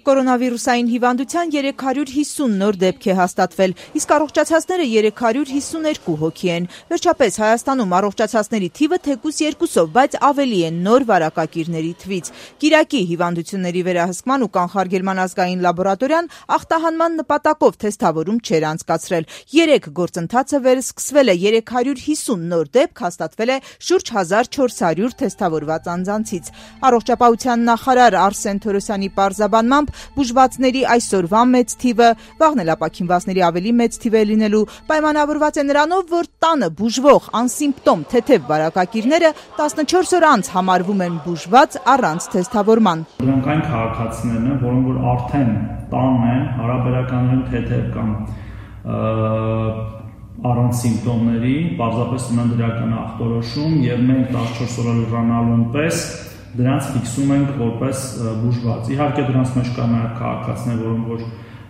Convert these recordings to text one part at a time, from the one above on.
Կորոնավիրուսային հիվանդության 350 նոր դեպք է հաստատվել, իսկ առողջացածները 352 հոգի են։ Վերջապես Հայաստանում առողջացածների թիվը թեկուզ 2-ով, բայց ավելի են նոր վարակակիրների թվից։ Կիրակի հիվանդությունների վերահսկման ու կանխարգելման ազգային լաբորատորիան ախտահանման նպատակով թեստավորում չէր անցկացրել։ 3 գործընթացը վերսկսվել է, 350 նոր դեպք հաստատվել է շուրջ 1400 թեստավորված անձանցից։ Առողջապահության նախարար Արսեն Թորոսյանի պարզաբանմամբ բուժվածների այսօրվա մեծ թիվը, վաղն էլ ապաքինվածների ավելի մեծ թիվ է լինելու, պայմանավորված է նրանով, որ տանը բուժվող անսիմպտոմ թեթև վարակակիրները 14 օր անց համարվում են բուժված առանց թեստավորման։ Դրանք այն քաղաքացիներն են, որոնք որ արդեն տանն են, հարաբերականորեն թեթև կամ առանց սիմպտոմների, պարզապես ունեն դրական ախտորոշում եւ մենք 14 օրը լրանալուն պես դրանց ֆիքսում ենք որպես բուժված։ Իհարկե դրանց մեջ կա նաև քաղաքացիներ, որոնք որ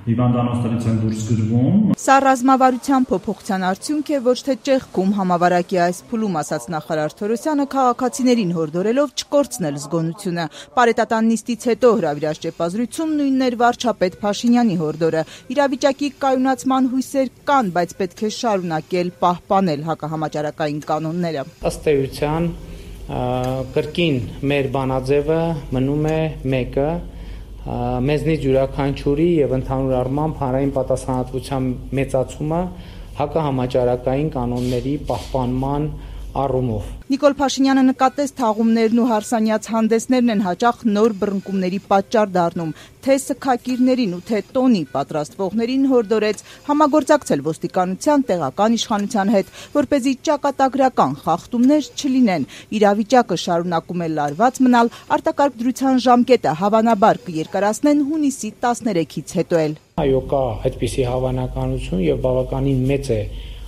հիվանդանոցներից են դուրս գրվում։ Սա ռազմավարության փոփոխության արդյունք է, ոչ թե ճեղքում համավարակի այս փուլում, ասաց նախարար Թորոսյանը, քաղաքացիներին հորդորելով չկորցնել զգոնությունը։ Պարետատան նիստից հետո հրավիրած ճեպազրույցում նույնն էր վարչապետ Փաշինյանի հորդորը։ Իրավիճակի կայունացման հույսեր կան, բայց պետք է շարունակել պահպանել հակահամաճարակային կանոնները։ Ըստ էության կրկին մեր բանաձևը մնում է մեկը, մեզնից յուրաքանչյուրի եւ ընդհանուր առմամբ հանրային պատասխանատվության մեծացումը հակահամաճարակային կանոնների պահպանման առումով։ Նիկոլ Փաշինյանը նկատեց թաղումներն ու հարսանյաց հանդեսներն են հաճախ նոր բռնկումների պատճառ դառնում, թե սգակիրներին ու թե տոնի պատրաստվողներին հորդորեց համագործակցել ոստիկանության, տեղական իշխանության հետ, որպեսզի ճակատագրական խախտումներ չլինեն։ Իրավիճակը շարունակում է լարված մնալ, արտակարգ դրության ժամկետը հավանաբար կերկարացնեն հունիսի 13-ից հետո էլ։ Այո, կա այդպիսի հավանականություն եւ բավականին մեծ է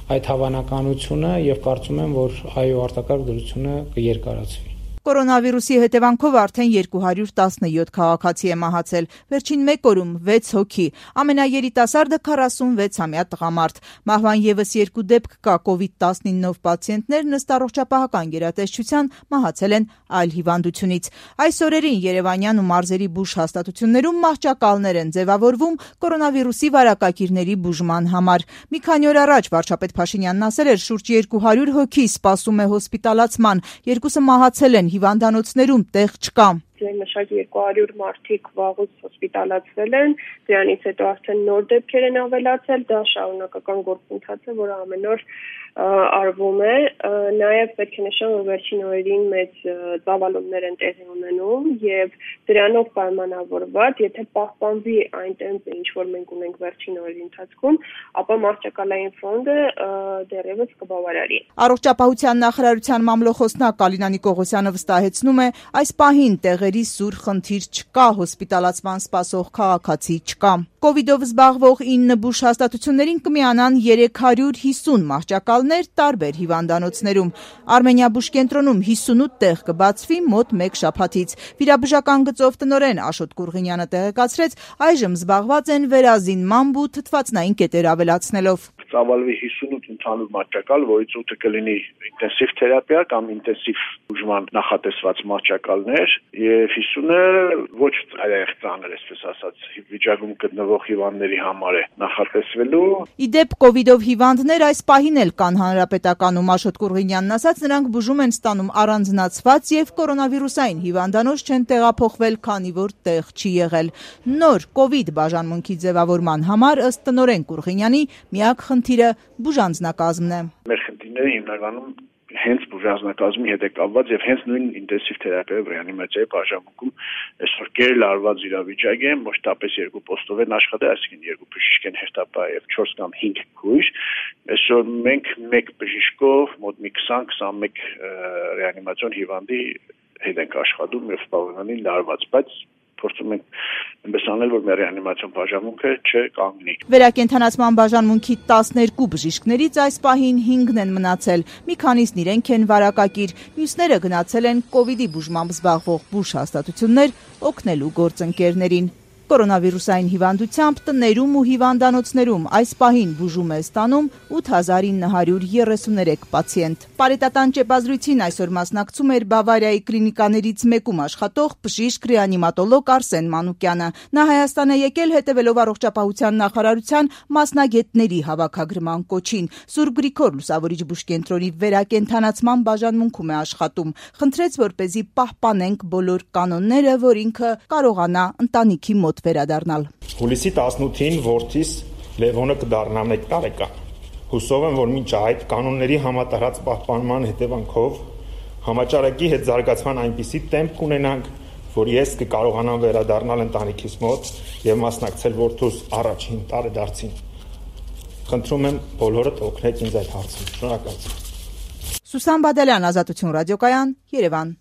այդ հավանականությունը եւ կարծում եմ, որ այո արտակարգ դրությունը կերկարացվի։ Կորոնավիրուսի հետևանքով արդեն 217 քաղաքացի է մահացել, վերջին մեկ օրում 6 հոգի, ամենաերիտասարդը 46-ամյա տղամարդ։ Մահվան ևս 2 դեպք կա, COVID-19-ով պացիենտներն ըստ առողջապահական գերատեսչության մահացել են այլ հիվանդությունից։ Այս օրերին Երևանյան ու մարզերի բուժ հաստատություններում մահճակալներ են ձևավորվում կորոնավիրուսի վարակակիրների բուժման համար։ Մի քանի օր առաջ վարչապետ Փաշինյանն ասել էր, շուրջ 200 հոգի սպասում է հոսպիտալացման, 2-ը մահացել են, հիվանդանոցներում տեղ չկա։ Մշակ 200 մարդիկ վաղուց հոսպիտալացվել են, դրանից հետո արդեն նոր դեպքեր են ավելացել, դա շարունակական գործընթաց է, որը ամեն օր արվում է, նաև պետք է նշեմ, որ վերջին օրերին մեծ ծավալումներ են տեղի ունենում եւ դրանով պայմանավորված, եթե պահպանվի այն տեմպը, ինչ որ մենք ունենք վերջին օրերի ընթացքում, ապա մահճակալային ֆոնդը դեռևս կբավարարի։ Առողջապահության նախարարության մամլոխոսնակ Ալինա Նիկողոսյանը վստահեցնում է, այս պահին տեղերի սուր խնդիր չկա, հոսպիտալացման սպասող քաղաքացի չկա։ Կովիդով զբաղվող 9 բուժ հաստատություններին կմիանան 350 մահճակալներ տարբեր հիվանդանոցներում։ Արմենիա բուժ կենտրոնում 58 տեղ կբացվի մոտ 1 շաբաթից։ Վիրաբուժական գծով տնօրեն Աշոտ Կուրղինյանը տեղեկացրեց, այժմ զբաղված են վերազինմամբ ու թթվածնային կետեր ավելացնելով։ Ծավալվի 58 ընդհանուր մահճակալ, որից 8-ը կլինի ինտենսիվ թերապիա կամ ինտենսիվ բուժման նախատեսված մահճակալներ եւ 50-ը ոչ այլ ծանր, այսպես ասած, վիճակում գտնվող հիվանդների համար է նախատեսվելու։ Իդեպ կովիդով հիվանդներ այս պահին էլ կան հանրապետականում, Աշոտ Կուրղինյանն ասաց, նրանք բուժում են ստանում առանձնացված եւ կորոնավիրուսային հիվանդանոց չեն տեղափոխվել, քանի որ տեղ չի եղել։ Նոր կովիդ բաժանմունքի ձևավորման համար ըստ տնօրեն Կուրղինյանի միակ խնդիրը բուժանձնակազմն է։ Մեր խնդիրները հիմնականում հենց բուժանձնակազմի հետ է կապված եւ հենց նույն ինտենսիվ թերապիայի ռեանիմացիայի բաժանմունքում այսօր կերլարված իրավիճակ է, մշտապես 2 պոստով են աշխատել, այսինքն 2 բժիշկ են հերթապահ եւ 4 կամ 5 քույր։ Այսօր մենք 1 բժիշկով մոտ մի 20-21 ռեանիմացիոն հիվանդի հետ ենք աշխատում եւ բավականին լարված, բայց փորձում ենք այնպես անել, որ մեր ռեանիմացիոն բաժանմունքը չկանգնի։ Վերակենդանացման բաժանմունքի 12 բժիշկներից այս պահին 5-ն են մնացել։ Մի քանիսն իրենք են վարակակիր, մյուսները գնացել են կովիդի բուժմամբ զբաղվող բուժ հաստատություններ օգնելու գործընկերներին։ Կորոնավիրուսային հիվանդությամբ տներում ու հիվանդանոցներում այս պահին բուժում է ստանում 8933 պացիենտ։ Պարետատան ճեպազրույցին այսօր մասնակցում էր Բավարիայի կլինիկաներից մեկում աշխատող բժիշկ ռեանիմատոլոգ Արսեն Մանուկյանը։ Նա Հայաստան է եկել հետևելով առողջապահության նախարարության մասնագետների հավաքագրման կոչին։ Սուրբ Գրիգոր լուսավորիչ բուժկենտրոնի վերակենդանացման բաժանմունքում է աշխատում։ Խնդրեց, որպեսզի պահպանենք բոլոր կանոնները, որ ինքը կարողանա ընտանիքի մոտ վերադառնալ։ Հուլիսի 18-ին որդիս Լևոնը կդառնա 1 տարեկան։ Հուսով եմ, որ մինչ այդ կանոնների համատարած պահպանման հետևանքով համաճարակի հետ զարգացման այնպիսի տեմպ կունենանք, որ ես կկարողանամ վերադառնալ ընտանիքիս մոտ եւ մասնակցել որդուս առաջին տարեդարձին։ Խնդրում եմ բոլորդ օգնեք ինձ այդ հարցում։ Շնորհակալություն։ Սուսան Բադալյան, Ազատություն ռադիոկայան, Երևան։